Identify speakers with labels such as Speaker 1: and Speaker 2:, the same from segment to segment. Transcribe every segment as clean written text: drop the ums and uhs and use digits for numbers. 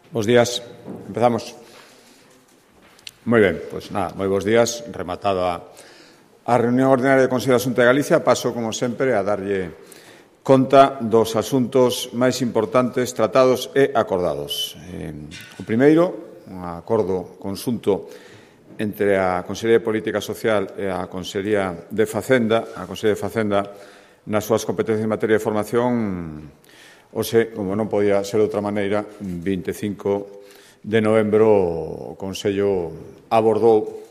Speaker 1: Bos días. Empezamos. Moi ben, pois nada, moi bons días. Rematada a reunión ordinaria do Consello da Xunta de Galicia, paso, como sempre, a darlle conta dos asuntos máis importantes tratados e acordados. O primeiro, un acordo conxunto entre a Consellería de Política Social e a Consellería de Facenda. A Consellería de Facenda, nas súas competencias en materia de formación, hoxe, como non podía ser de outra maneira, 25 de novembro o Consello abordou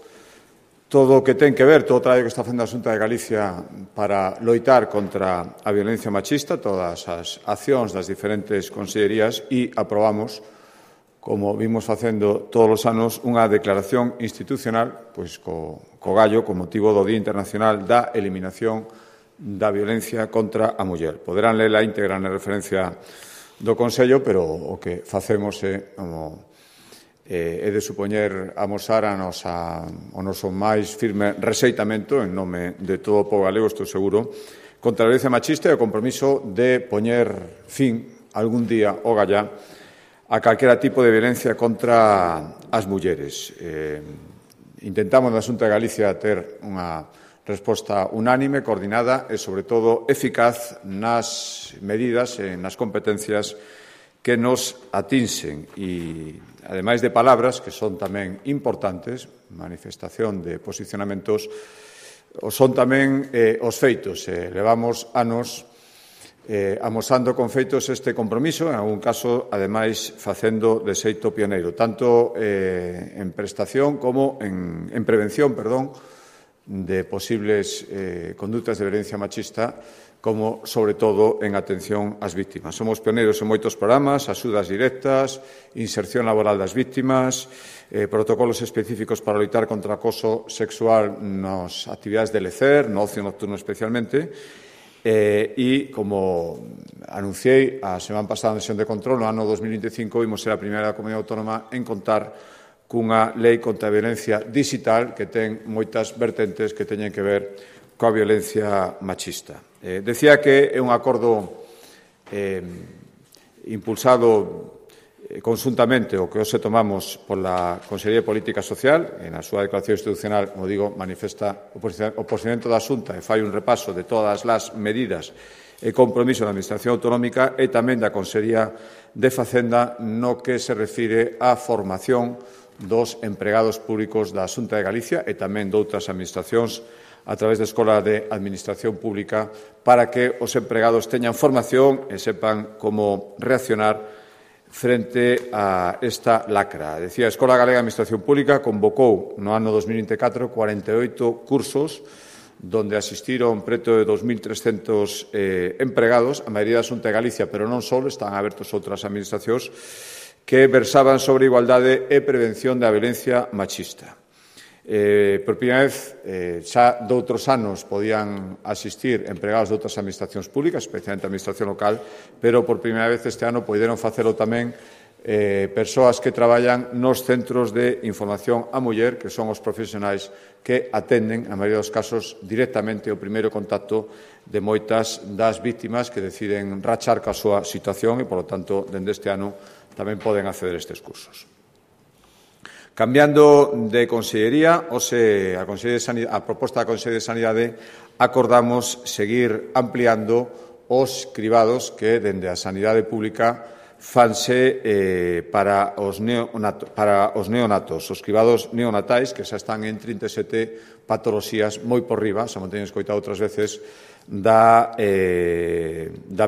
Speaker 1: todo o que ten que ver, todo o traballo que está facendo a Xunta de Galicia para loitar contra a violencia machista, todas as accións das diferentes consellerías, e aprobamos, como vimos facendo todos os anos, unha declaración institucional pois co gallo con motivo do Día Internacional da Eliminación da Violencia contra a Muller. Poderán ler a íntegra na referencia do Consello, pero o que facemos é de supoñer amosar o noso máis firme rexeitamento en nome de todo o pobo galego, estou seguro, contra a violencia machista e o compromiso de poñer fin algún día o gallá a calquera tipo de violencia contra as mulleres. Intentamos na Xunta de Galicia ter unha resposta unánime, coordinada e, sobre todo, eficaz nas medidas e nas competencias que nos atinxen. E, ademais de palabras, que son tamén importantes, manifestación de posicionamentos, son tamén os feitos. Levamos anos amosando con feitos este compromiso, en algún caso, ademais, facendo de xeito pioneiro, tanto en prestación como en prevención, de posibles condutas de violencia machista, como, sobre todo, en atención ás vítimas. Somos pioneiros en moitos programas, axudas directas, inserción laboral das vítimas, protocolos específicos para loitar contra o acoso sexual nas actividades de lecer, no ocio nocturno especialmente, e, como anunciei a semana pasada na sesión de control, no ano 2025 vimos ser a primeira comunidade autónoma en contar cunha lei contra a violencia digital que ten moitas vertentes que teñen que ver coa violencia machista. Decía que é un acordo impulsado conxuntamente o que hoxe tomamos pola Consellería de Política Social. Na súa declaración institucional, como digo, manifesta o posicionamento da Xunta e fai un repaso de todas as medidas e compromiso da Administración Autonómica e tamén da Consellería de Facenda no que se refire á formación dos empregados públicos da Xunta de Galicia e tamén doutras administracións a través da Escola de Administración Pública para que os empregados teñan formación e sepan como reaccionar frente a esta lacra. Decía, a Escola Galega de Administración Pública convocou no ano 2024 48 cursos donde asistiron preto de 2.300 empregados, a maioría da Xunta de Galicia, pero non só, están abertos outras administracións que versaban sobre igualdade e prevención da violencia machista. Por primeira vez, xa doutros anos podían asistir empregados de outras administracións públicas, especialmente a administración local, pero por primeira vez este ano poderon facelo tamén persoas que traballan nos centros de información á muller, que son os profesionais que atenden, na maioría dos casos, directamente o primeiro contacto de moitas das vítimas que deciden rachar ca súa situación e, polo tanto, dende este ano tamén poden acceder a estes cursos. Cambiando de consellería, a proposta da Consellería de Sanidade, acordamos seguir ampliando os cribados que, dende a sanidade pública, fanse para os neonatos. Os cribados neonatais, que xa están en 37 patoloxías moi por riba, xa me teñen escoitado outras veces, da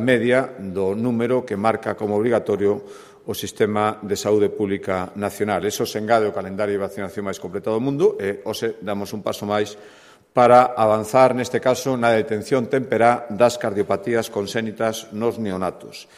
Speaker 1: media do número que marca como obrigatorio o Sistema de Saúde Pública Nacional. Eso se engade o calendario de vacinación máis completo do mundo e hoxe damos un paso máis para avanzar, neste caso, na detención temperá das cardiopatías conxénitas nos neonatos.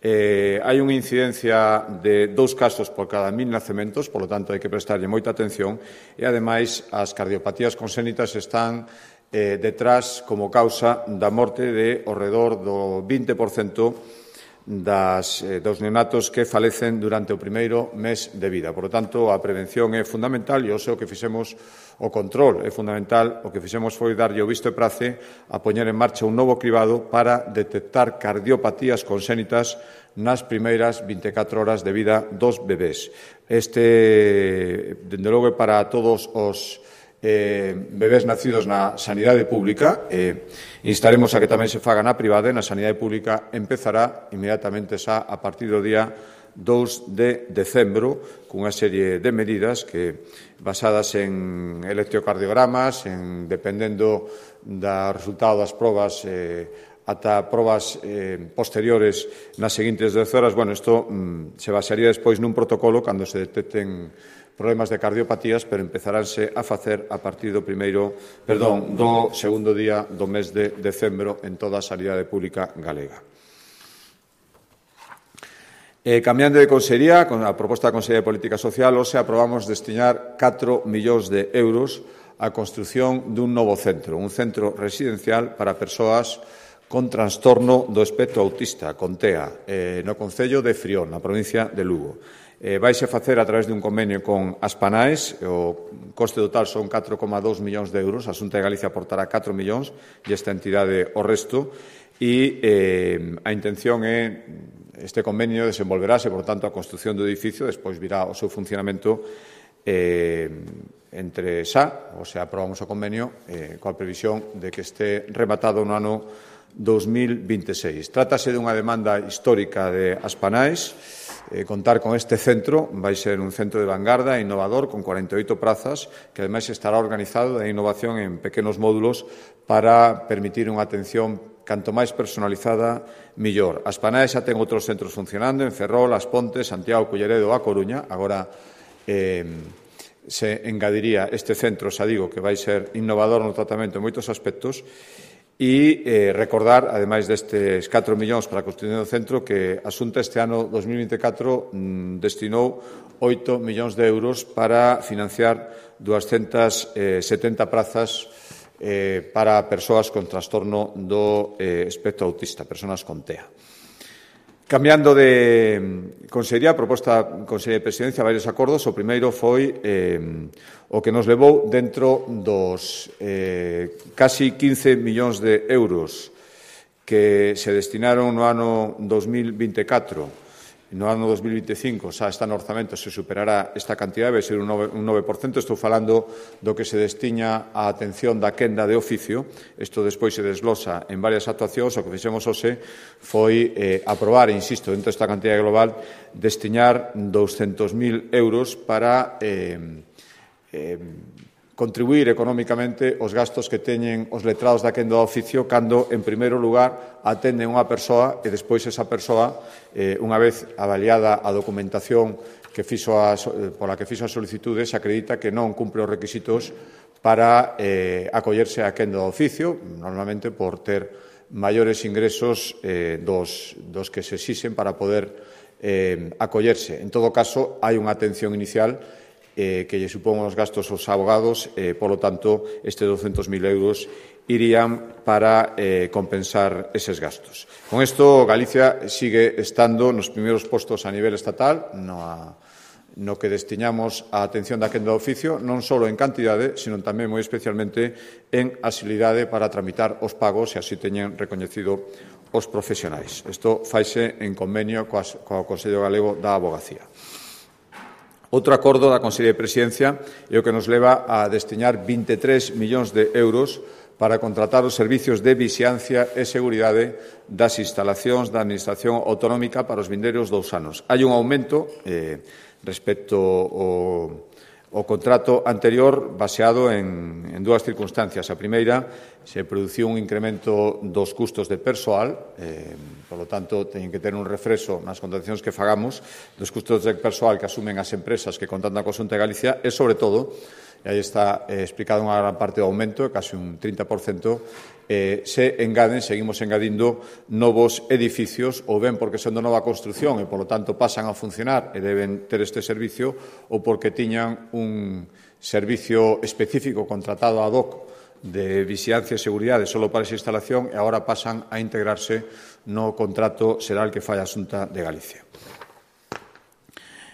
Speaker 1: Hai unha incidencia de 2 casos por cada 1.000 nacementos, polo tanto, hai que prestarlle moita atención e, ademais, as cardiopatías conxénitas están detrás como causa da morte de ao redor do 20% dos neonatos que falecen durante o primeiro mes de vida. Por lo tanto, a prevención é fundamental e o que fixemos, o control é fundamental. O que fixemos foi darlle o visto e prace a poñer en marcha un novo cribado para detectar cardiopatías conxénitas nas primeiras 24 horas de vida dos bebés. Dende logo, para todos os bebés nacidos na sanidade pública, instaremos a que tamén se faga na privada, e na sanidade pública empezará inmediatamente xa a partir do día 2 de decembro, cunha serie de medidas que, basadas en electrocardiogramas, dependendo do resultado das probas, ata probas posteriores nas seguintes 10 horas, isto se basearía despois nun protocolo cando se detecten problemas de cardiopatías, pero empezaránse a facer a partir do segundo día do mes de decembro en toda a sanidade pública galega. Cambiando de consellería, con a proposta da Consellería de Política Social, hoxe aprobamos destinar 4 millóns de euros á construción dun novo centro, un centro residencial para persoas con trastorno do espectro autista, con TEA, no concello de Frión, na provincia de Lugo. Vaise facer a través dun convenio con Aspanaes, o coste total son 4,2 millóns de euros, a Xunta de Galicia aportará 4 millóns e esta entidade o resto, e a intención é este convenio desenvolverase, por tanto, a construción do edificio, despois virá o seu funcionamento entre xa, ou sea, aprobamos o convenio coa previsión de que este rematado no ano 2026. Trátase dunha demanda histórica de Aspanaes. Contar con este centro vai ser un centro de vanguarda e innovador con 48 prazas que ademais estará organizado de innovación en pequenos módulos para permitir unha atención canto máis personalizada, millor. Aspanaes xa ten outros centros funcionando en Ferrol, As Pontes, Santiago, Culleredo, A Coruña. Agora se engadiría este centro, xa digo, que vai ser innovador no tratamento en moitos aspectos. E recordar, ademais destes 4 millóns para a construción do centro, que a Xunta este ano 2024 destinou 8 millóns de euros para financiar 270 prazas para persoas con trastorno do espectro autista, persoas con TEA. Cambiando de consellería, a proposta da Consellería de Presidencia, varios acordos. O primeiro foi o que nos levou dentro dos casi 15 millóns de euros que se destinaron no ano 2024. No ano 2025 xa está no orzamento, se superará esta cantidad, vai ser un 9%. Estou falando do que se destiña á atención da quenda de oficio. Isto despois se desglosa en varias actuacións. O que fixemos hoxe foi aprobar, insisto, dentro desta cantidad global, destiñar 200.000 euros para contribuir económicamente os gastos que teñen os letrados da quenda do oficio cando, en primeiro lugar, atenden unha persoa e despois esa persoa, unha vez avaliada a documentación pola que fixo a solicitude, se acredita que non cumpre os requisitos para acollerse á quenda do oficio, normalmente por ter maiores ingresos dos que se exixen para poder acollerse. En todo caso, hai unha atención inicial que lle supón os gastos aos abogados, polo tanto, estes 200.000 euros irían para compensar eses gastos. Con isto, Galicia sigue estando nos primeiros postos a nivel estatal no que destiñamos a atención da quenda do oficio, non só en cantidade, sino tamén moi especialmente en axilidade para tramitar os pagos e así teñen recoñecido os profesionais. Isto faise en convenio co Consello Galego da Avogacía. Outro acordo da Consellería de Presidencia é o que nos leva a destiñar 23 millóns de euros para contratar os servicios de vixiancia e seguridade das instalacións da Administración Autonómica para os vindeiros 2 anos. Hai un aumento respecto ao contrato anterior baseado en dúas circunstancias. A primeira, se produciu un incremento dos custos de persoal, polo tanto, teñen que ter un refrexo nas contratacións que fagamos dos custos de persoal que asumen as empresas que contratan coa Xunta de Galicia e, sobre todo, e aí está explicado unha gran parte do aumento, casi un 30%, seguimos engadindo novos edificios, ou ben porque son de nova construción e, polo tanto, pasan a funcionar e deben ter este servicio, ou porque tiñan un servicio específico contratado ad hoc de vixiancia e seguridade só para esa instalación e agora pasan a integrarse no contrato xeral que fai a Xunta de Galicia.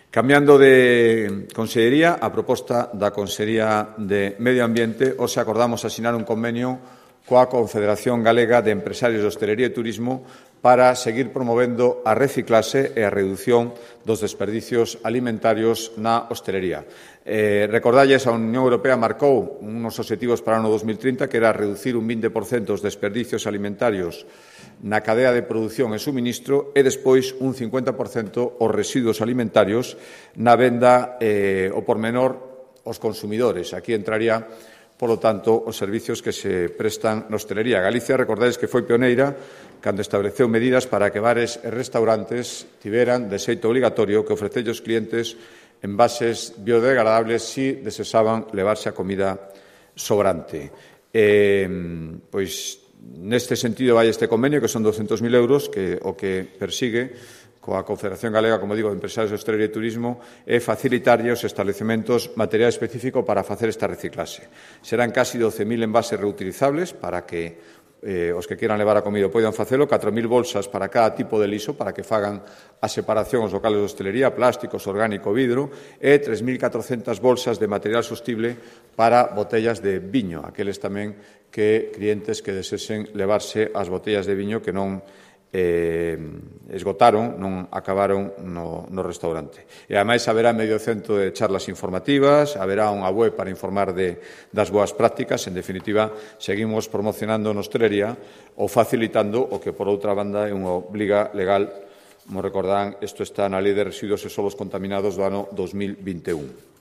Speaker 1: Cambiando de consellería, a proposta da Consellería de Medio Ambiente, hoxe acordamos asinar un convenio coa Confederación Galega de Empresarios de Hostelería e Turismo para seguir promovendo a reciclase e a redución dos desperdicios alimentarios na hostelería. Recordalles, a Unión Europea marcou uns obxectivos para o ano 2030 que era reducir un 20% os desperdicios alimentarios na cadea de produción e suministro e despois un 50% os residuos alimentarios na venda ao por menor aos consumidores. Aquí entraría, polo tanto, os servicios que se prestan na hostelería. Galicia, recordades que foi pioneira cando estableceu medidas para que bares e restaurantes tiveran de xeito obligatorio que ofrecer aos clientes envases biodegradables si desesaban levarse a comida sobrante. Pois, neste sentido, vai este convenio, que son 200.000 euros, que o que persigue coa Confederación Galega, como digo, de Empresarios de Hostelería e Turismo, é facilitarlle aos establecementos material específico para facer esta reciclase. Serán casi 12.000 envases reutilizables para que os que quieran levar a comida poidan facelo, 4.000 bolsas para cada tipo de liso, para que fagan a separación os locales de hostelería, plásticos, orgánico, vidro, e 3.400 bolsas de material sostible para botellas de viño, aqueles tamén que clientes que desesen levarse as botellas de viño que non esgotaron, non acabaron no restaurante. E, ademais, haberá medio cento de charlas informativas, haberá unha web para informar das boas prácticas. En definitiva, seguimos promocionando na hostelería ou facilitando o que, por outra banda, é unha obriga legal. Como recordarán, isto está na Lei de Residuos e Solos Contaminados do ano 2021.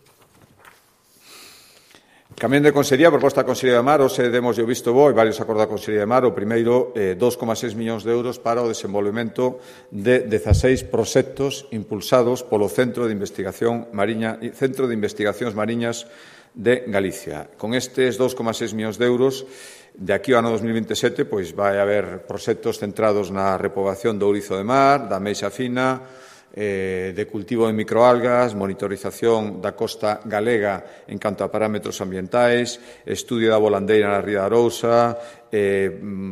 Speaker 1: Cambiando de Consellería, proposta da Consellería de Mar, hoxe demos o visto bo e varios acordos da Consellería de Mar. O primeiro, 2,6 millóns de euros para o desenvolvemento de 16 proxectos impulsados polo Centro de Investigacións Mariñas de Galicia. Con estes 2,6 millóns de euros, de aquí ao ano 2027, pois vai haber proxectos centrados na repoboación do ourizo de mar, da ameixa fina, de cultivo de microalgas, monitorización da costa galega en canto a parámetros ambientais, estudio da volandeira na Ría de Arousa,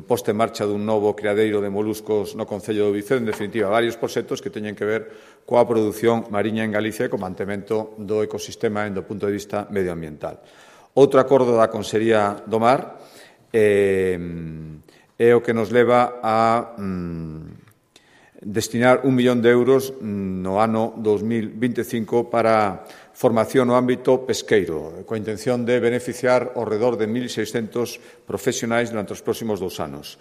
Speaker 1: posta en marcha dun novo criadeiro de moluscos no Concello de Oviceo. En definitiva, varios proxectos que teñen que ver coa produción mariña en Galicia e co mantemento do ecosistema do punto de vista medioambiental. Outro acordo da Consellería do Mar é o que nos leva a destinar 1 millón de euros no ano 2025 para formación no ámbito pesqueiro, coa intención de beneficiar ao redor de 1.600 profesionais durante os próximos 2 anos.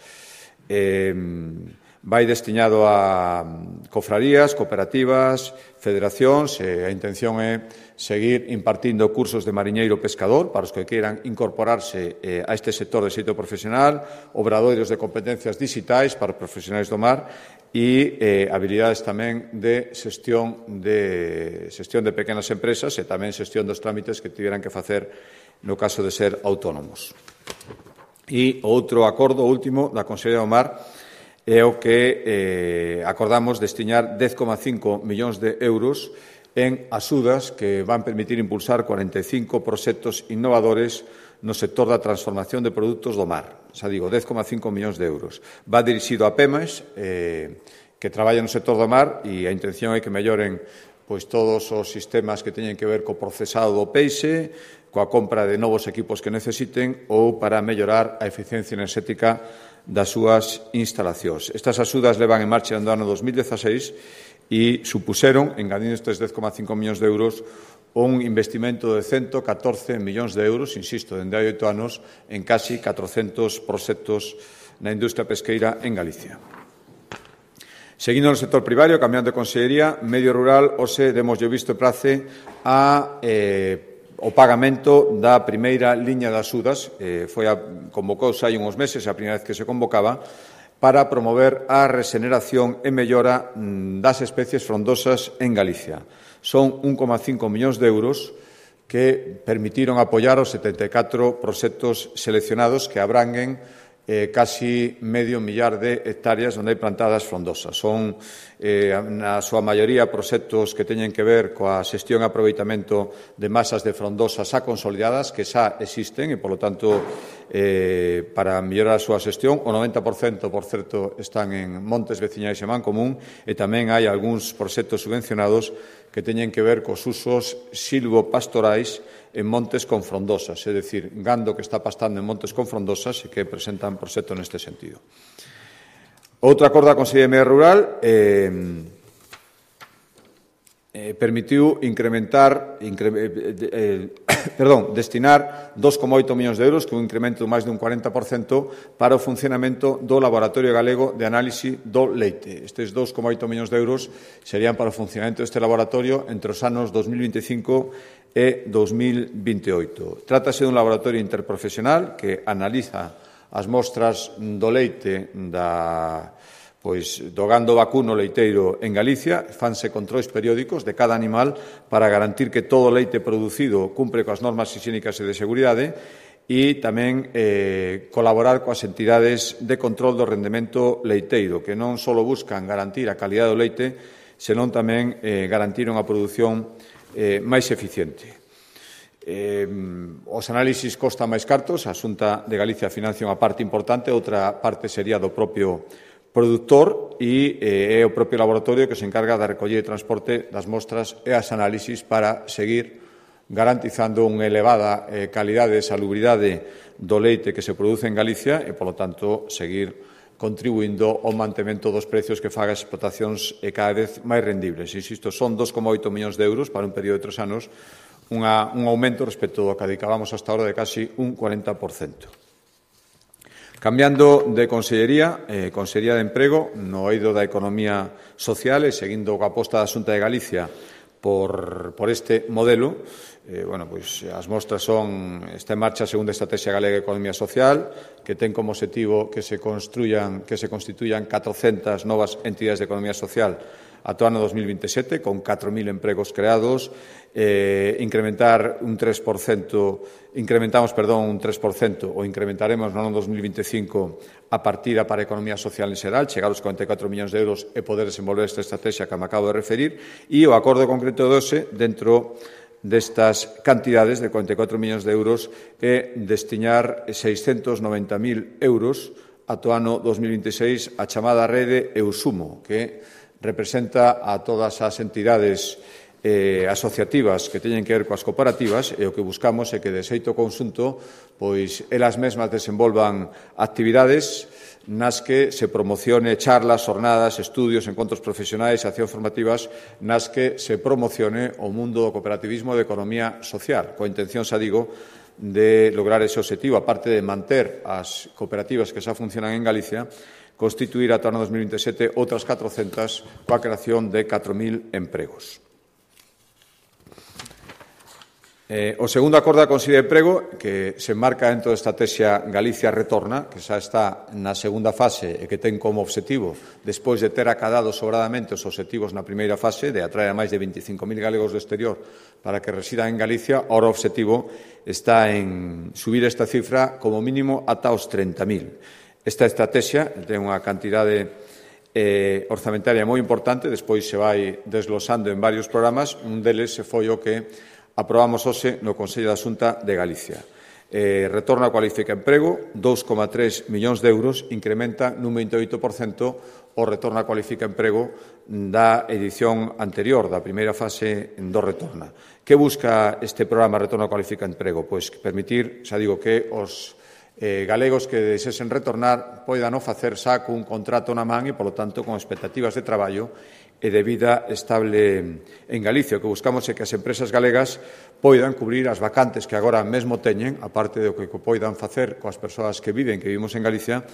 Speaker 1: Vai destinado a cofrarías, cooperativas, federacións, e a intención é seguir impartindo cursos de mariñeiro pescador para os que queiran incorporarse a este sector de xeito profesional, obradoiros de competencias digitais para os profesionais do mar e habilidades tamén de xestión de pequenas empresas e tamén xestión dos trámites que tiveran que facer no caso de ser autónomos. E outro acordo, último, da Consellería do Mar é o que acordamos destinar 10,5 millóns de euros en axudas que van permitir impulsar 45 proxectos innovadores no sector da transformación de produtos do mar. Xa digo, 10,5 millóns de euros. Va dirixido a PEMES, que traballa no sector do mar, e a intención é que melloren pois todos os sistemas que teñen que ver co procesado do peixe, coa compra de novos equipos que necesiten ou para mellorar a eficiencia enerxética das súas instalacións. Estas axudas levan en marcha no ano 2016 e supuseron, engadindo estes 10,5 millóns de euros, un investimento de 114 millóns de euros, insisto, dende hai 8 anos, en casi 400 proxectos na industria pesqueira en Galicia. Seguindo no sector primario, cambiando de consellería, medio rural, hoxe demos o visto e prace o pagamento da primeira liña de axudas, convocouse hai uns meses, a primeira vez que se convocaba, para promover a rexeneración e mellora das especies frondosas en Galicia. Son 1,5 millóns de euros que permitiron apoiar os 74 proxectos seleccionados que abranguen casi medio millar de hectáreas onde hai plantadas frondosas. Son, na súa maioría, proxectos que teñen que ver coa xestión e aproveitamento de masas de frondosas xa consolidadas, que xa existen e, polo tanto, para mellorar a súa xestión. O 90%, por certo, están en montes veciñais e mancomún, e tamén hai algúns proxectos subvencionados que teñen que ver cos usos silvopastorais en montes con frondosas, é dicir, gando que está pastando en montes con frondosas e que presentan proxecto neste sentido. Outro acordo da Consellería de Medio Rural permitiu destinar 2,8 millóns de euros, que é un incremento de máis dun 40%, para o funcionamento do Laboratorio Galego de Análise do Leite. Estes 2,8 millóns de euros serían para o funcionamento deste laboratorio entre os anos 2025 e 2028. Trátase dun laboratorio interprofesional que analiza as mostras do leite do gando vacuno leiteiro en Galicia, fanse controis periódicos de cada animal para garantir que todo o leite producido cumpre coas normas higiénicas e de seguridade e tamén colaborar coas entidades de control do rendemento leiteiro, que non só buscan garantir a calidade do leite, senón tamén garantir unha produción máis eficiente. Os análisis costan máis cartos, a Xunta de Galicia financia unha parte importante, outra parte sería do propio produtor e é o propio laboratorio que se encarga da recollida e transporte das mostras e as análisis para seguir garantizando unha elevada calidade e salubridade do leite que se produce en Galicia e, polo tanto, seguir contribuindo ao mantemento dos precios que faga as explotacións cada vez máis rendibles. Insisto, son 2,8 millóns de euros para un período de 3 anos, un aumento respecto do que dedicábamos hasta ahora de casi un 40%. Cambiando de Consellería, Consellería de Emprego, no eido da Economía Social e seguindo coa aposta da Xunta de Galicia por este modelo, as mostras está en marcha a segunda Estrategia Galega de Economía Social, que ten como obxectivo que se constituyan 400 novas entidades de economía social ata o ano 2027, con 4.000 empregos creados, incrementamos un 3% ou incrementaremos no ano 2025 a partida para a economía social en xeral, chegar aos 44 millóns de euros e poder desenvolver esta estrategia que me acabo de referir, e o acordo concreto de hoxe dentro destas cantidades de 44 millóns de euros é destinar 690.000 euros ata o ano 2026 a chamada rede Eusumo, que representa a todas as entidades asociativas que teñen que ver coas cooperativas, e o que buscamos é que, de xeito conxunto, elas mesmas desenvolvan actividades nas que se promocione charlas, jornadas, estudios, encontros profesionais e accións formativas nas que se promocione o mundo do cooperativismo e da economía social, coa intención, xa digo, de lograr ese obxectivo, aparte de manter as cooperativas que xa funcionan en Galicia, constituir ata o ano 2027 outras 400 coa creación de 4.000 empregos. O segundo acordo da Consellería de Emprego, que se enmarca dentro da Estrategia Galicia Retorna, que xa está na segunda fase e que ten como obxectivo, despois de ter acadado sobradamente os obxectivos na primeira fase, de atraer a máis de 25.000 galegos do exterior para que residan en Galicia, ora o obxectivo está en subir esta cifra como mínimo ata os 30.000. Esta estrategia ten unha cantidade orzamentaria moi importante, despois se vai desglosando en varios programas, un deles foi o que aprobamos hoxe no Consello da Xunta de Galicia. Retorno a Cualifica Emprego, 2,3 millóns de euros, incrementa nun 28% o retorno a Cualifica Emprego da edición anterior, da primeira fase do Retorna. Que busca este programa Retorno a Cualifica Emprego? Pois permitir, xa digo, que os galegos que desesen retornar poidan o facer xa cun contrato na man e, polo tanto, con expectativas de traballo e de vida estable en Galicia. O que buscamos é que as empresas galegas poidan cubrir as vacantes que agora mesmo teñen, aparte do que poidan facer coas persoas que vivimos en Galicia,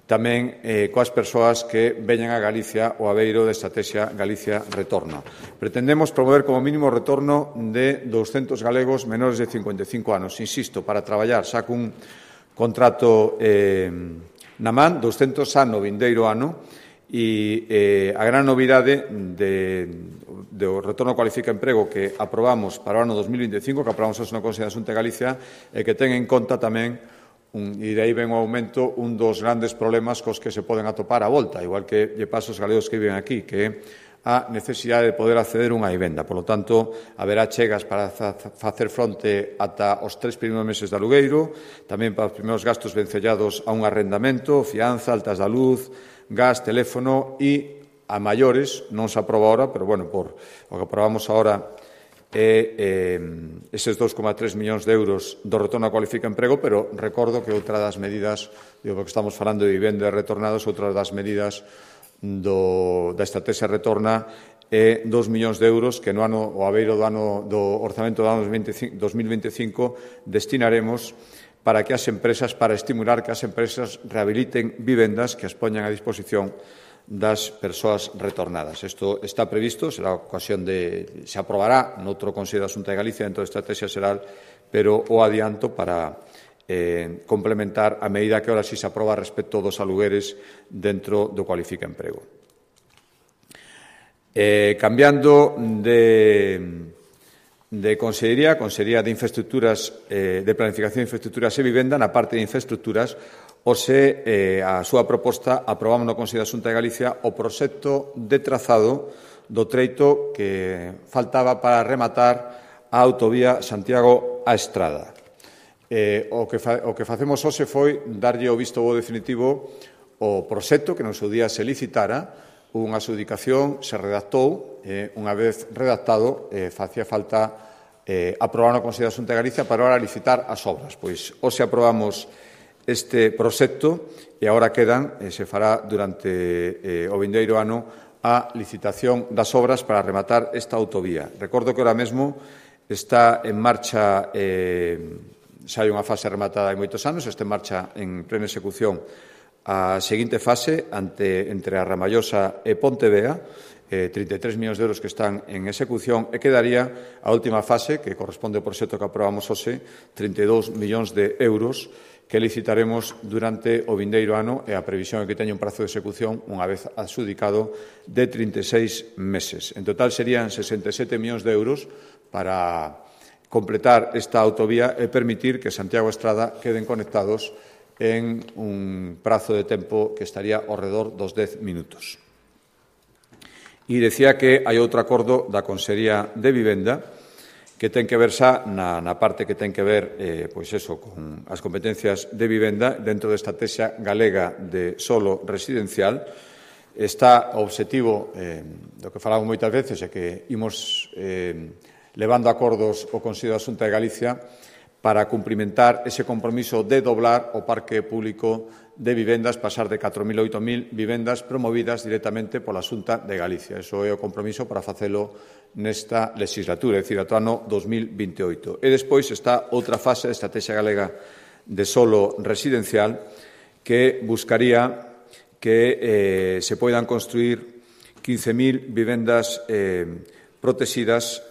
Speaker 1: tamén coas persoas que veñan a Galicia o aveiro de Estrategia Galicia Retorna. Pretendemos promover como mínimo o retorno de 200 galegos menores de 55 anos. Insisto, para traballar xa cun contrato na man, 200 xa no vindeiro ano, e a gran novidade do Retorno Cualifica Emprego que aprobamos para o ano 2025, que aprobamos hoxe no Consello da Xunta de Galicia, é que ten en conta tamén, e de aí ven o aumento, un dos grandes problemas cos que se poden atopar a volta, igual que lle pasa aos galegos que viven aquí, que é a necesidade de poder acceder a unha vivenda. Por lo tanto, haberá chegas para facer fronte ata os 3 primeiros meses de alugueiro, tamén para os primeiros gastos vencellados a un arrendamento, fianza, altas da luz, gas, teléfono e a maiores, non se aproba ahora, pero, bueno, por o que aprobamos ahora eses 2,3 millóns de euros do retorno a cualifica emprego, pero recordo que outra das medidas, porque estamos falando de vivenda e retornados, outra das medidas da estrategia retorna é 2 millóns de euros que no ano, o abeiro do orzamento do ano 2025 destinaremos para que as empresas, para estimular que as empresas rehabiliten vivendas que as poñan a disposición das persoas retornadas. Isto está previsto, será ocasión se aprobará noutro Consello da Xunta de Galicia dentro da Estrategia Xeral, pero o adianto para complementar a medida que ahora sí se aproba respecto dos alugueres dentro do Cualifica Emprego. Cambiando de Consellería de Infraestructuras, de Planificación de Infraestructuras e Vivenda, na parte de infraestructuras, hoxe a súa proposta aprobamos no Consello da Xunta de Galicia o proxecto de trazado do treito que faltaba para rematar a autovía Santiago-A Estrada. O que facemos hoxe foi darlle o visto bo definitivo o proxecto que no seu día se licitara, unha adxudicación se redactou, unha vez redactado facía falta aprobar no Consello da Xunta de Galicia para ahora licitar as obras. Pois hoxe aprobamos este proxecto e agora quedan, se fará durante o vindeiro ano a licitación das obras para rematar esta autovía. Recordo que ahora mesmo está en marcha, xa hai unha fase rematada hai moitos anos, está en marcha en plena execución a seguinte fase entre a Ramallosa e Pontevea, 33 millóns de euros que están en execución, e quedaría a última fase, que corresponde ao proxecto que aprobamos hoxe, 32 millóns de euros, que licitaremos durante o vindeiro ano e a previsión é que teña un prazo de execución, unha vez adxudicado, de 36 meses. En total serían 67 millóns de euros para completar esta autovía e permitir que Santiago e Estrada queden conectados en un prazo de tempo que estaría ao redor dos 10 minutos. E decía que hai outro acordo da Consellería de Vivenda que ten que ver xa na parte que ten que ver con as competencias de vivenda dentro da estrategia galega de solo residencial. Está o obxectivo do que falamos moitas veces é que imos levando acordos o Consello da Xunta de Galicia para cumprimentar ese compromiso de doblar o parque público de vivendas, pasar de 4.000 a 8.000 vivendas promovidas directamente pola Xunta de Galicia. Iso é o compromiso para facelo nesta legislatura, é dicir, ata o ano 2028. E despois está outra fase da estrategia galega de solo residencial que buscaría que se poidan construir 15.000 vivendas protegidas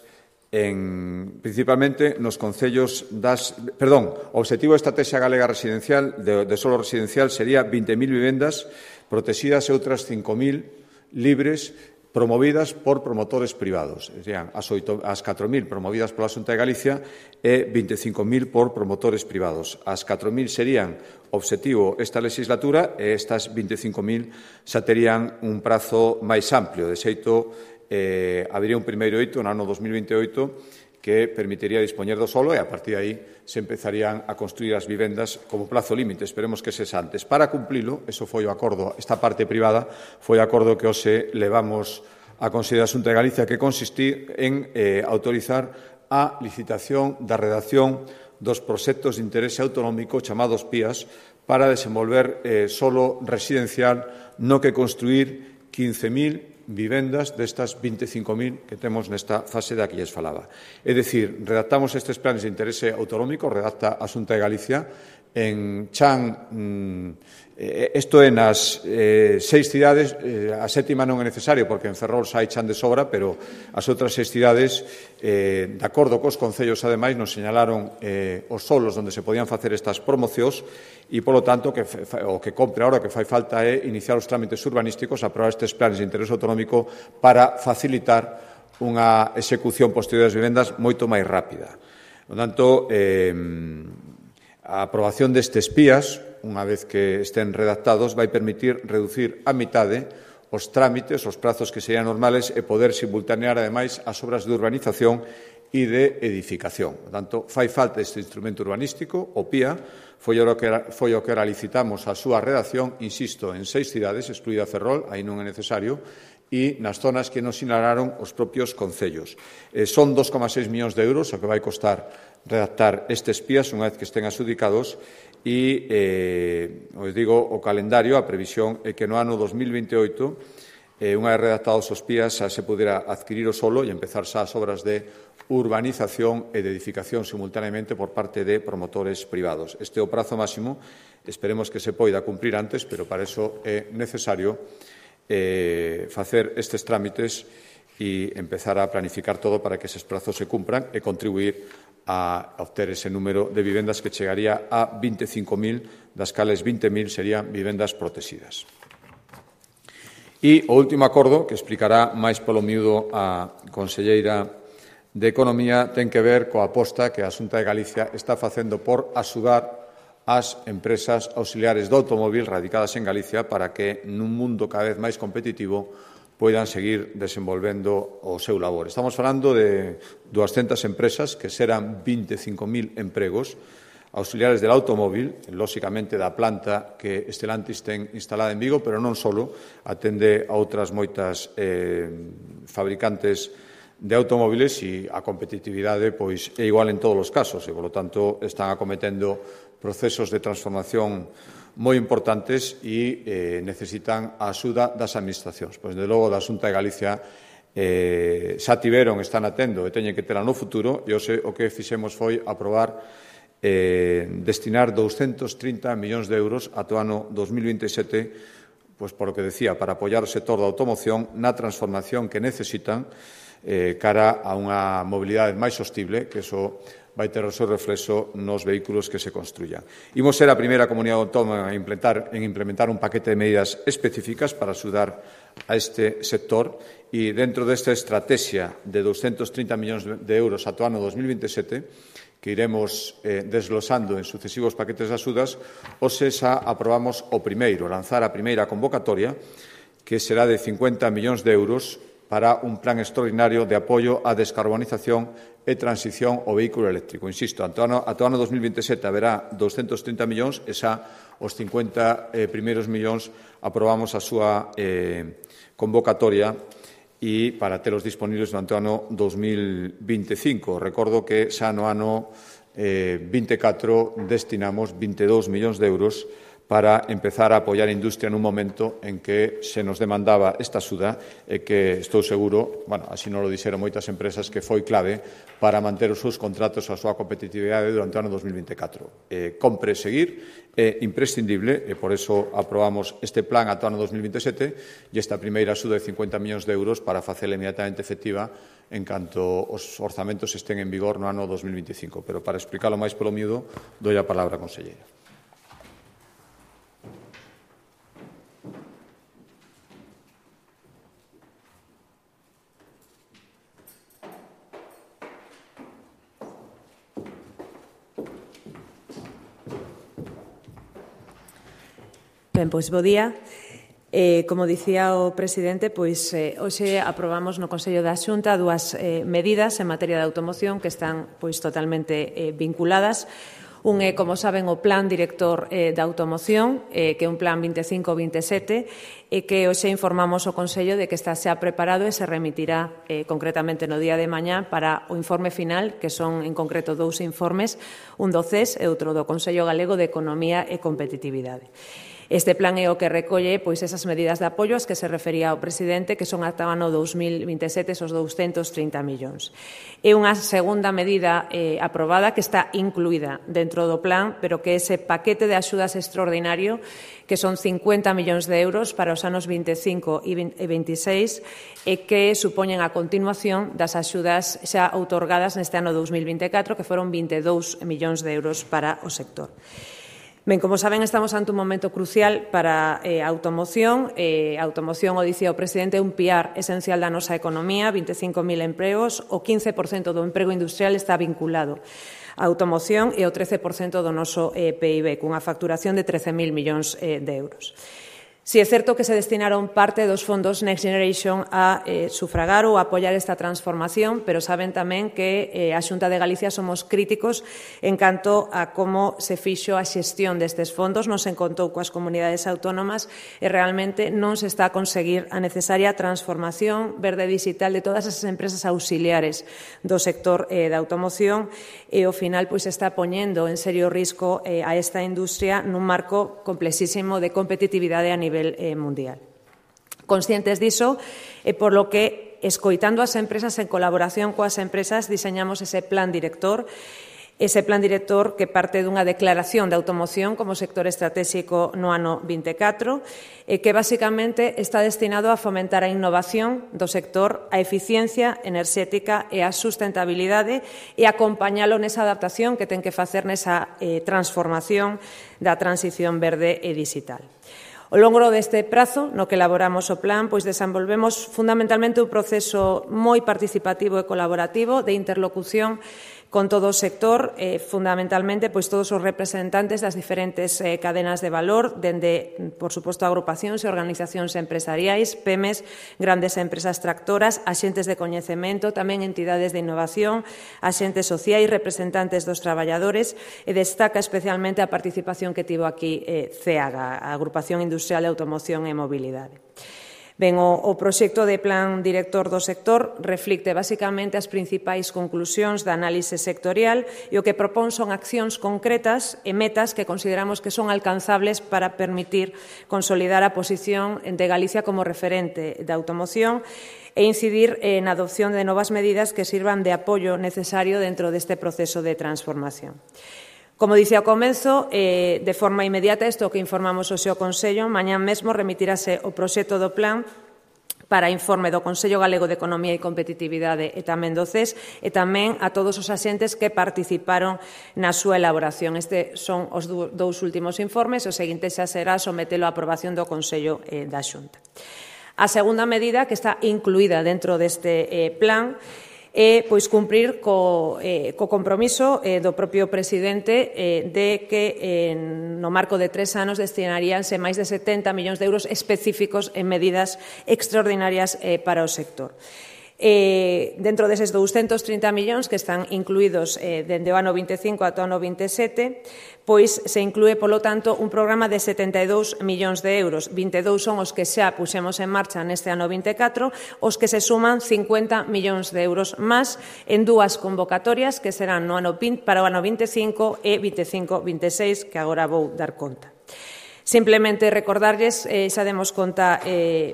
Speaker 1: principalmente nos concellos o obxectivo da estrategia galega residencial de solo residencial sería 20.000 vivendas protegidas e outras 5.000 libres promovidas por promotores privados. Serían as 4.000 promovidas pola Xunta de Galicia e 25.000 por promotores privados. As 4.000 serían obxectivo esta legislatura e estas 25.000 xa terían un prazo máis amplio. De xeito, habería un primeiro hito no ano 2028 que permitiría dispoñer do solo e a partir de aí se empezarían a construir as vivendas como plazo límite. Esperemos que sexa antes. Para cumplilo, eso foi o acordo, esta parte privada foi o acordo que hoxe levamos a Consello da Xunta de Galicia que consistí en autorizar a licitación da redacción dos proxectos de interese autonómico chamados PIAs para desenvolver solo residencial no que construir 15.000 vivendas destas 25.000 que temos nesta fase da que lles falaba. É dicir, redactamos estes planes de interese autonómico, redacta a Xunta de Galicia, en Chan, isto é nas 6 cidades, a sétima non é necesario porque en Ferrol xa hai Chan de sobra, pero as outras 6 cidades, de acordo cos concellos, ademais, nos señalaron os solos onde se podían facer estas promocións e, polo tanto, o que compre agora, o que fai falta é iniciar os trámites urbanísticos, aprobar estes planes de interés autonómico para facilitar unha execución posterior das vivendas moito máis rápida. Por tanto, a aprobación destes PIAs, unha vez que estén redactados, vai permitir reducir a mitade os trámites, os prazos que serían normales e poder simultanear, ademais, as obras de urbanización e de edificación. Por tanto, fai falta este instrumento urbanístico, o PIA, foi o que licitamos a súa redacción, insisto, en 6 cidades, excluída Ferrol, aí non é necesario, e nas zonas que nos sinalaron os propios concellos. Son 2,6 millóns de euros o que vai costar redactar estes PIAs unha vez que estén adxudicados e, os digo, o calendario, a previsión é que no ano 2028, unha vez redactados os PIAs, xa se pudera adquirir o solo e empezar xa as obras de urbanización e de edificación simultaneamente por parte de promotores privados. Este é o prazo máximo, esperemos que se poida cumprir antes, pero para iso é necesario facer estes trámites e empezar a planificar todo para que eses prazos se cumpran e contribuir a obter ese número de vivendas que chegaría a 25.000, das cales 20.000 serían vivendas protegidas. E o último acordo, que explicará máis polo miúdo a conselleira de Economía, ten que ver coa aposta que a Xunta de Galicia está facendo por axudar as empresas auxiliares do automóvil radicadas en Galicia para que, nun mundo cada vez máis competitivo, poidan seguir desenvolvendo o seu labor. Estamos falando de 200 empresas que serán 25.000 empregos auxiliares del automóvil, lóxicamente da planta que Stellantis ten instalada en Vigo, pero non só, atende a outras moitas fabricantes de automóviles e a competitividade pois é igual en todos os casos e, polo tanto, están acometendo procesos de transformación moi importantes e necesitan a axuda das administracións. Pois, de logo, da Xunta de Galicia xa tiveron, están atendo e teñen que tela no futuro e hoxe o que fixemos foi aprobar destinar 230 millóns de euros ata o ano 2027, pois, por o que decía, para apoiar o sector da automoción na transformación que necesitan cara a unha mobilidade máis sostible, que iso vai ter o seu reflexo nos vehículos que se construyan. Imos ser a primeira comunidade autónoma en implementar un paquete de medidas específicas para axudar a este sector e dentro desta estrategia de 230 millóns de euros ata o ano 2027, que iremos desglosando en sucesivos paquetes de axudas, hoxe xa aprobamos o primeiro, lanzar a primeira convocatoria, que será de 50 millóns de euros para un plan extraordinario de apoio á descarbonización e transición ao vehículo eléctrico. Insisto, ata o ano 2027 haberá 230 millóns e xa os 50 primeiros millóns aprobamos a súa convocatoria e para telos disponibles durante o ano 2025. Recordo que xa no ano 24 destinamos 22 millóns de euros para empezar a apoiar a industria nun momento en que se nos demandaba esta axuda e que estou seguro, así non lo dixeron moitas empresas, que foi clave para manter os seus contratos a súa competitividade durante o ano 2024. Compre seguir, é imprescindible e por eso aprobamos este plan ata o ano 2027 e esta primeira axuda de 50 millóns de euros para facela inmediatamente efectiva en canto os orzamentos estén en vigor no ano 2025. Pero para explicarlo máis polo miúdo, doi a palabra á conselleira.
Speaker 2: Ben, pois, bo día. Como dicía o presidente, pois hoxe aprobamos no Consello da Xunta dúas medidas en materia de automoción que están pois totalmente vinculadas. Un é, como saben, o Plan Director da Automoción, que é un plan 25-27, e que hoxe informamos o Consello de que está xa preparado e se remitirá concretamente no día de mañá para o informe final, que son en concreto 2 informes, un do CES e outro do Consello Galego de Economía e Competitividade. Este plan é o que recolle pois esas medidas de apoio ás que se refería o presidente, que son ata o ano 2027 esos 230 millóns. É unha segunda medida aprobada que está incluída dentro do plan, pero que ese paquete de axudas extraordinario, que son 50 millóns de euros para os anos 25 e 26, e que supoñen a continuación das axudas xa outorgadas neste ano 2024, que foron 22 millóns de euros para o sector. Ben, como saben, estamos ante un momento crucial para a automoción. A automoción, o dicía o presidente, é un piar esencial da nosa economía, 25.000 empregos, o 15% do emprego industrial está vinculado á automoción e o 13% do noso PIB, cunha facturación de 13.000 millóns de euros. Si é certo que se destinaron parte dos fondos Next Generation a sufragar ou a apoiar esta transformación, pero saben tamén que a Xunta de Galicia somos críticos en canto a como se fixo a xestión destes fondos, non se encontou coas comunidades autónomas e realmente non se está a conseguir a necesaria transformación verde digital de todas as empresas auxiliares do sector da automoción e ao final pois está poñendo en serio risco a esta industria nun marco complexísimo de competitividade a nivel mundial. Conscientes diso, por lo que, escoitando as empresas en colaboración coas empresas, diseñamos ese plan director que parte dunha declaración de automoción como sector estratégico no ano 24, que basicamente está destinado a fomentar a innovación do sector, a eficiencia enerxética e a sustentabilidade e acompañalo nesa adaptación que ten que facer nesa transformación da transición verde e digital. Ao longo deste prazo no que elaboramos o plan, pois desenvolvemos fundamentalmente un proceso moi participativo e colaborativo de interlocución con todo o sector, fundamentalmente pois todos os representantes das diferentes cadenas de valor, dende, por suposto, agrupacións e organizacións empresariais, PEMES, grandes empresas tractoras, axentes de coñecemento, tamén entidades de innovación, axentes sociais, representantes dos traballadores, e destaca especialmente a participación que tivo aquí CEAGA, a Agrupación Industrial de Automoción e Mobilidade. Ben, o proxecto de plan director do sector reflicte basicamente as principais conclusións da análise sectorial e o que propón son accións concretas e metas que consideramos que son alcanzables para permitir consolidar a posición de Galicia como referente da automoción e incidir na adopción de novas medidas que sirvan de apoio necesario dentro deste proceso de transformación. Como dicía ao comenzo, de forma inmediata, isto que informamos hoxe ao Consello, mañá mesmo remitirase o proxecto do plan para informe do Consello Galego de Economía e Competitividade e tamén do CES e tamén a todos os axentes que participaron na súa elaboración. Estes son os dous últimos informes, o seguinte xa será sometelo á aprobación do Consello da Xunta. A segunda medida que está incluída dentro deste plan e pois cumprir co compromiso do propio presidente de que no marco de 3 anos destinaríanse máis de 70 millóns de euros específicos en medidas extraordinarias para o sector. Dentro deses 230 millóns que están incluídos dende o ano 25 ata o ano 27, pois se inclúe, polo tanto, un programa de 72 millóns de euros. 22 son os que xa puxemos en marcha neste ano 24, os que se suman 50 millóns de euros máis en dúas convocatorias que serán no ano para o ano 25 e 25-26, que agora vou dar conta. Simplemente recordarlles, xa demos conta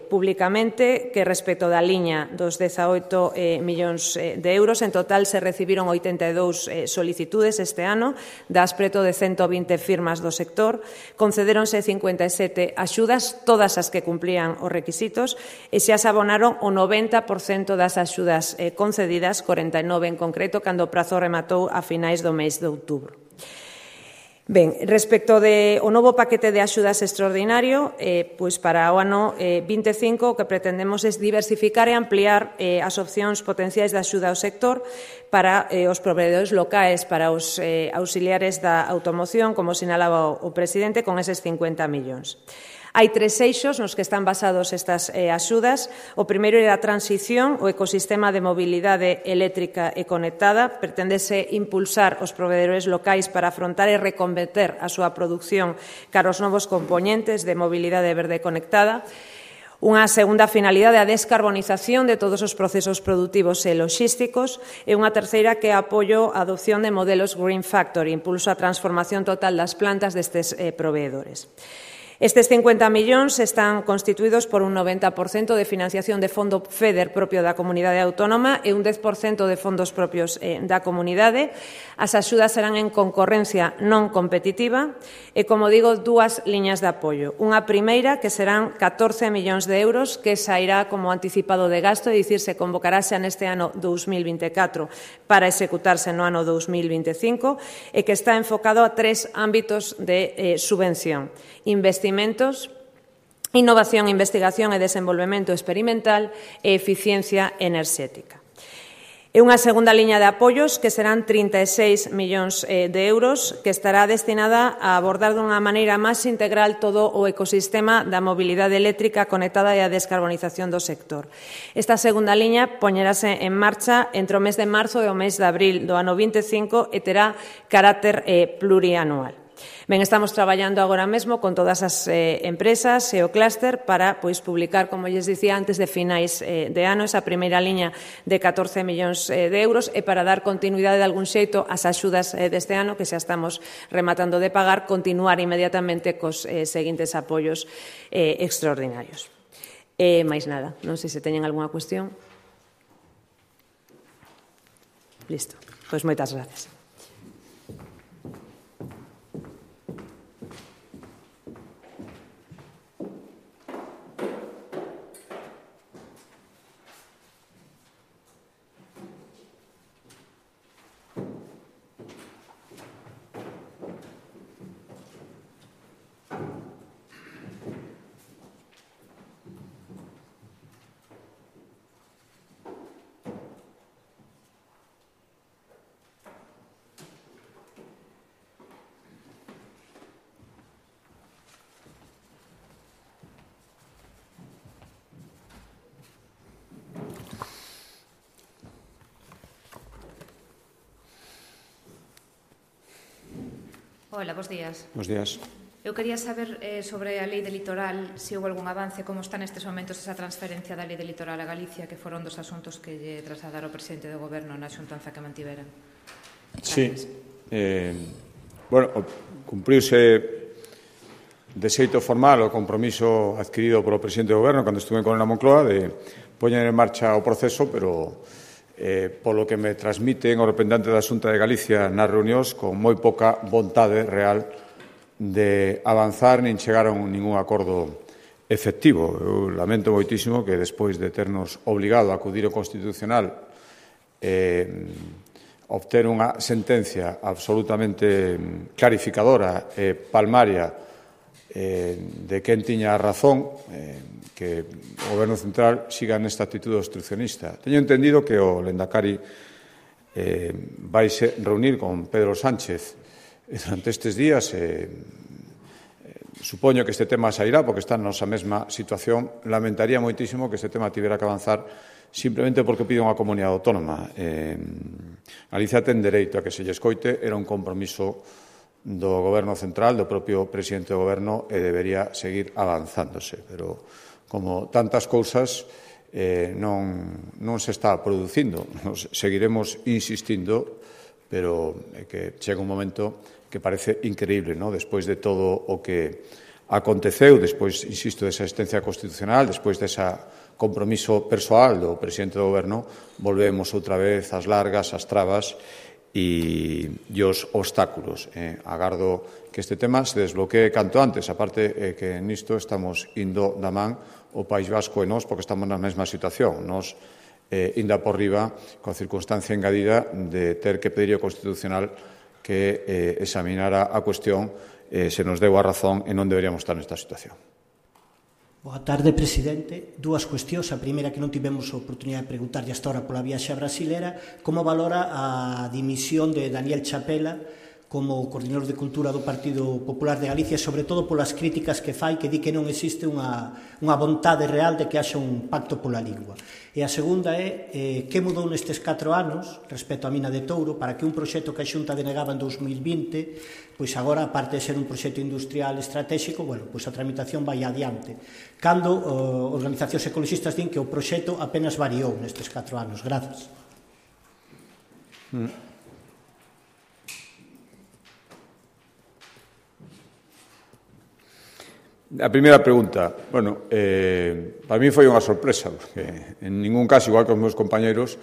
Speaker 2: públicamente que respecto da liña dos 18 millóns de euros, en total se recibiron 82 solicitudes este ano, das preto de 120 firmas do sector, concedéronse 57 axudas, todas as que cumplían os requisitos, e xa se abonaron o 90% das axudas concedidas, 49 en concreto, cando o prazo rematou a finais do mes de outubro. Ben, respecto do novo paquete de axudas extraordinario, pois para o ano 25 o que pretendemos é diversificar e ampliar as opcións potenciais de axuda ao sector para os proveedores locais, para os auxiliares da automoción, como sinalaba o presidente, con eses 50 millóns. Hai 3 eixos nos que están basados estas axudas. O primeiro é a transición, o ecosistema de mobilidade eléctrica e conectada. Pretendese impulsar os proveedores locais para afrontar e reconverter a súa produción cara aos novos componentes de mobilidade verde conectada. Unha segunda finalidade é a descarbonización de todos os procesos produtivos e logísticos e unha terceira que é apoio á adopción de modelos Green Factory, impulso á transformación total das plantas destes proveedores. Estes 50 millóns están constituídos por un 90% de financiación de fondo FEDER propio da comunidade autónoma e un 10% de fondos propios da comunidade. As axudas serán en concorrencia non competitiva e, como digo, 2 liñas de apoio. Unha primeira que serán 14 millóns de euros que sairá como anticipado de gasto, é dicir, se convocarase neste ano 2024 para executarse no ano 2025 e que está enfocado a 3 ámbitos de subvención: investimentos, innovación, investigación e desenvolvemento experimental e eficiencia enerxética. E unha segunda liña de apoios que serán 36 millóns de euros que estará destinada a abordar dunha maneira máis integral todo o ecosistema da mobilidade eléctrica conectada e a descarbonización do sector. Esta segunda liña poñerase en marcha entre o mes de marzo e o mes de abril do ano 25 e terá carácter plurianual. Ben, estamos traballando agora mesmo con todas as empresas e o clúster para publicar, como lles dicía, antes de finais de ano, esa primeira liña de 14 millóns de euros e para dar continuidade de algún xeito ás axudas deste ano, que xa estamos rematando de pagar, continuar inmediatamente cos seguintes apoios extraordinarios. Mais nada, non sei se teñen algunha cuestión. Listo, pois moitas gracias.
Speaker 3: Hola, bos días.
Speaker 1: Bos días.
Speaker 3: Eu quería saber sobre a lei de litoral, se houve algún avance, como está nestes momentos esa transferencia da lei de litoral a Galicia, que foron dos asuntos que lle trasladara o presidente do Goberno na xuntanza que mantiveran.
Speaker 1: Sí. Cumpriuse de xeito formal o compromiso adquirido polo presidente do Goberno cando estuve con a Moncloa de poñer en marcha o proceso, pero polo que me transmiten o representante da Xunta de Galicia nas reunións con moi pouca vontade real de avanzar nin chegar a ningún acordo efectivo. Eu lamento moitísimo que despois de ternos obligado a acudir ao Constitucional obter unha sentencia absolutamente clarificadora e palmaria de quen tiña a razón, que o Goberno Central siga nesta actitude obstruccionista. Teño entendido que o Lehendakari vaise reunir con Pedro Sánchez durante estes días. Supoño que este tema sairá porque está na nosa mesma situación. Lamentaría moitísimo que este tema tivera que avanzar simplemente porque pide unha comunidade autónoma. Galicia ten dereito a que se lle escoite, era un compromiso do Goberno Central, do propio presidente do Goberno, e debería seguir avanzándose. Pero, como tantas cousas, non se está producindo. Nos seguiremos insistindo, pero que chega un momento que parece increíble, non? Despois de todo o que aconteceu, despois, insisto, desa asistencia constitucional, despois desa compromiso persoal do presidente do Goberno, volvemos outra vez ás largas, ás trabas e os obstáculos. Agardo que este tema se desbloquee canto antes, aparte que nisto estamos indo da man o País Vasco e nós, porque estamos na mesma situación. Nós, inda por riba, coa circunstancia engadida de ter que pedir ao Constitucional que examinara a cuestión, se nos deu a razón e non deberíamos estar nesta situación.
Speaker 4: Boa tarde, presidente. Dúas cuestións. A primeira que non tivemos a oportunidade de preguntarlle hasta ahora pola viaxe brasilera, como valora a dimisión de Daniel Chapela como coordinador de Cultura do Partido Popular de Galicia, sobre todo polas críticas que fai, que di que non existe unha vontade real de que haxa un pacto pola lingua. E a segunda é que mudou nestes 4 anos respecto á mina de Touro para que un proxecto que a Xunta denegaba en 2020, pois agora, aparte de ser un proxecto industrial estratégico, pois a tramitación vai adiante. Cando organizacións ecologistas din que o proxecto apenas variou nestes 4 anos. Grazas.
Speaker 1: A primeira pregunta, para mí foi unha sorpresa, porque en ningún caso, igual que os meus compañeros,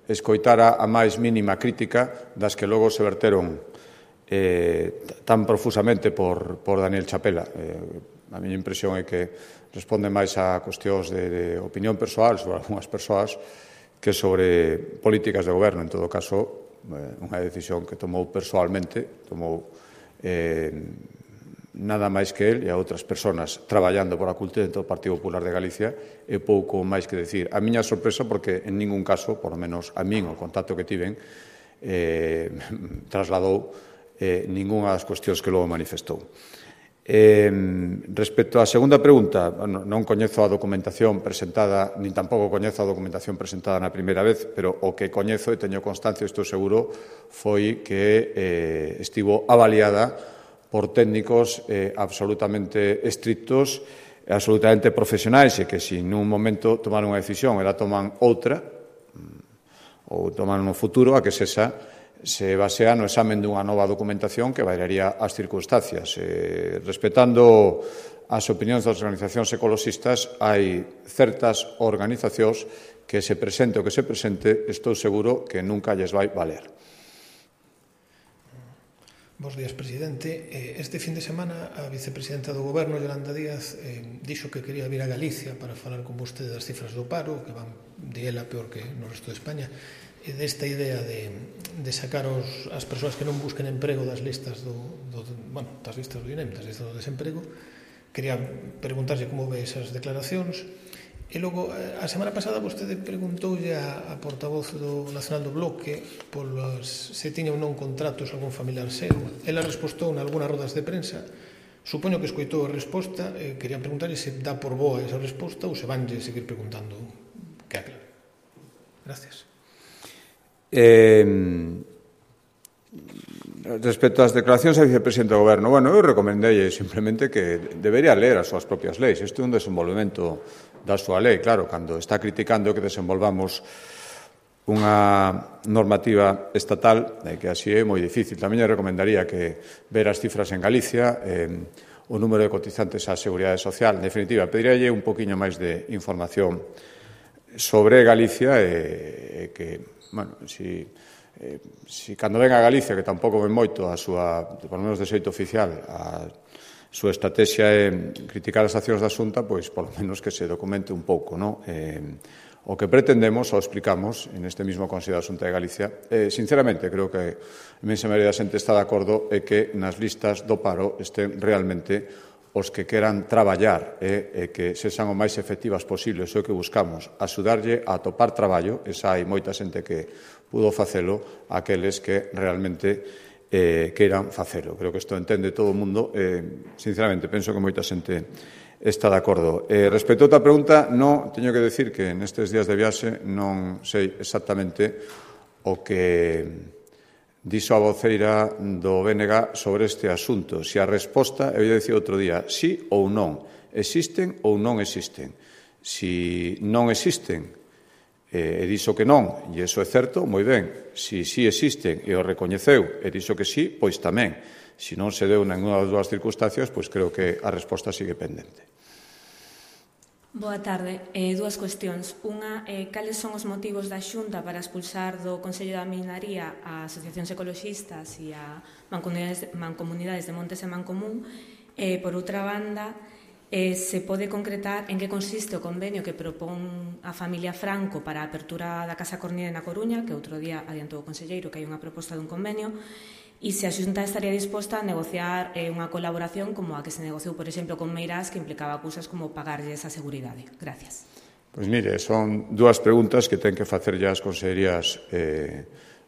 Speaker 1: escoitara a máis mínima crítica das que logo se verteron tan profusamente por Daniel Chapela. A miña impresión é que responde máis a cuestións de opinión persoal sobre algunhas persoas que sobre políticas de goberno. En todo caso, unha decisión que tomou persoalmente, tomou nada máis que el e a outras persoas traballando por a cultura dentro do Partido Popular de Galicia e pouco máis que decir. A miña sorpresa porque en ningún caso, por lo menos a min, o contacto que tiven, trasladou ningunha das cuestións que logo manifestou. Respecto á segunda pregunta, non coñezo a documentación presentada, nin tampouco coñezo a documentación presentada na primeira vez, pero o que coñezo e teño constancia, estou seguro, foi que estivo avaliada por técnicos absolutamente estrictos e absolutamente profesionais e que se nun momento tomaron unha decisión e la toman outra ou toman no futuro, a que se basea no examen dunha nova documentación que variaría as circunstancias. Respetando as opinións das organizacións ecoloxistas, hai certas organizacións que se presente o que se presente, estou seguro que nunca lles vai valer.
Speaker 5: Bos días, presidente. Este fin de semana a vicepresidenta do Goberno, Yolanda Díaz, dixo que quería vir a Galicia para falar con vostede das cifras do paro, que van de ela peor que no resto de España, e desta idea de sacar as persoas que non busquen emprego das listas das listas do INEM, das listas do desemprego. Quería preguntarlle como ve esas declaracións. E logo, a semana pasada vostede preguntoulle a portavoz do Nacional do Bloque se tiña ou non contratos algún familiar seu. Ela respostou en algunhas rodas de prensa. Supoño que escoitou a resposta. Quería preguntarlle se dá por boa esa resposta ou se vanlle seguir preguntando que aclare. Gracias.
Speaker 1: Respecto ás declaracións da vicepresidenta do Goberno, eu recomendei simplemente que debería ler as súas propias leis. Isto é un desenvolvemento da súa lei. Claro, cando está criticando que desenvolvamos unha normativa estatal, que así é moi difícil. Tamén lle recomendaría que ver as cifras en Galicia, o número de cotizantes á Seguridade Social. En definitiva, pediríalle un poquinho máis de información sobre Galicia e que, si cando ven a Galicia, que tampouco ven moito a súa, por lo menos de xeito oficial, a súa estrategia é criticar as accións da Xunta, pois, por lo menos, que se documente un pouco, non? O que pretendemos, o explicamos, en este mismo Consello da Xunta de Galicia, sinceramente, creo que a inmensa maioría da xente está de acordo é que nas listas do paro estén realmente os que queran traballar e que sexan o máis efectivas posibles. O que buscamos, axudarlle a atopar traballo, esa hai moita xente que pudo facelo, aqueles que realmente queiran facelo. Creo que isto entende todo o mundo e, sinceramente, penso que moita xente está de acordo. Respecto a outra pregunta, non teño que decir que nestes días de viaxe non sei exactamente o que dixo a voceira do BNG sobre este asunto. Se a resposta, eu ia dicir outro día, sí ou non, existen ou non existen. Si non existen, e dixo que non, e iso é certo, moi ben. Si sí existen e o recoñeceu e dixo que sí, pois tamén. Se non se deu ninguna das dúas circunstancias, pois creo que a resposta sigue pendente.
Speaker 6: Boa tarde. Dúas cuestións. Unha, cales son os motivos da Xunta para expulsar do Consello da Minaría a asociacións ecoloxistas e a mancomunidades de Montes e Mancomún? Por outra banda, se pode concretar en que consiste o convenio que propón a familia Franco para a apertura da Casa Cornide na Coruña, que outro día adiantou o conselleiro que hai unha proposta dun convenio, e se a Xunta estaría disposta a negociar unha colaboración como a que se negociou, por exemplo, con Meirás, que implicaba cousas como pagarlle esa seguridade. Gracias.
Speaker 1: Pois mire, son dúas preguntas que ten que facer ya as consellerías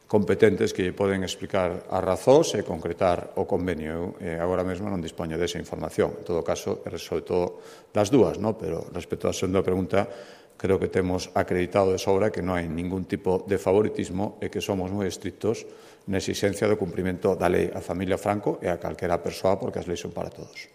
Speaker 1: competentes que lle poden explicar as razóns e concretar o convenio. Eu agora mesmo non dispoño desa información. En todo caso, sobre todo das dúas, ¿no? Pero respecto á segunda pregunta, creo que temos acreditado de sobra que non hai ningún tipo de favoritismo e que somos moi estrictos na exigencia do cumprimento da lei a familia Franco e a calquera persoa, porque as leis son para todos.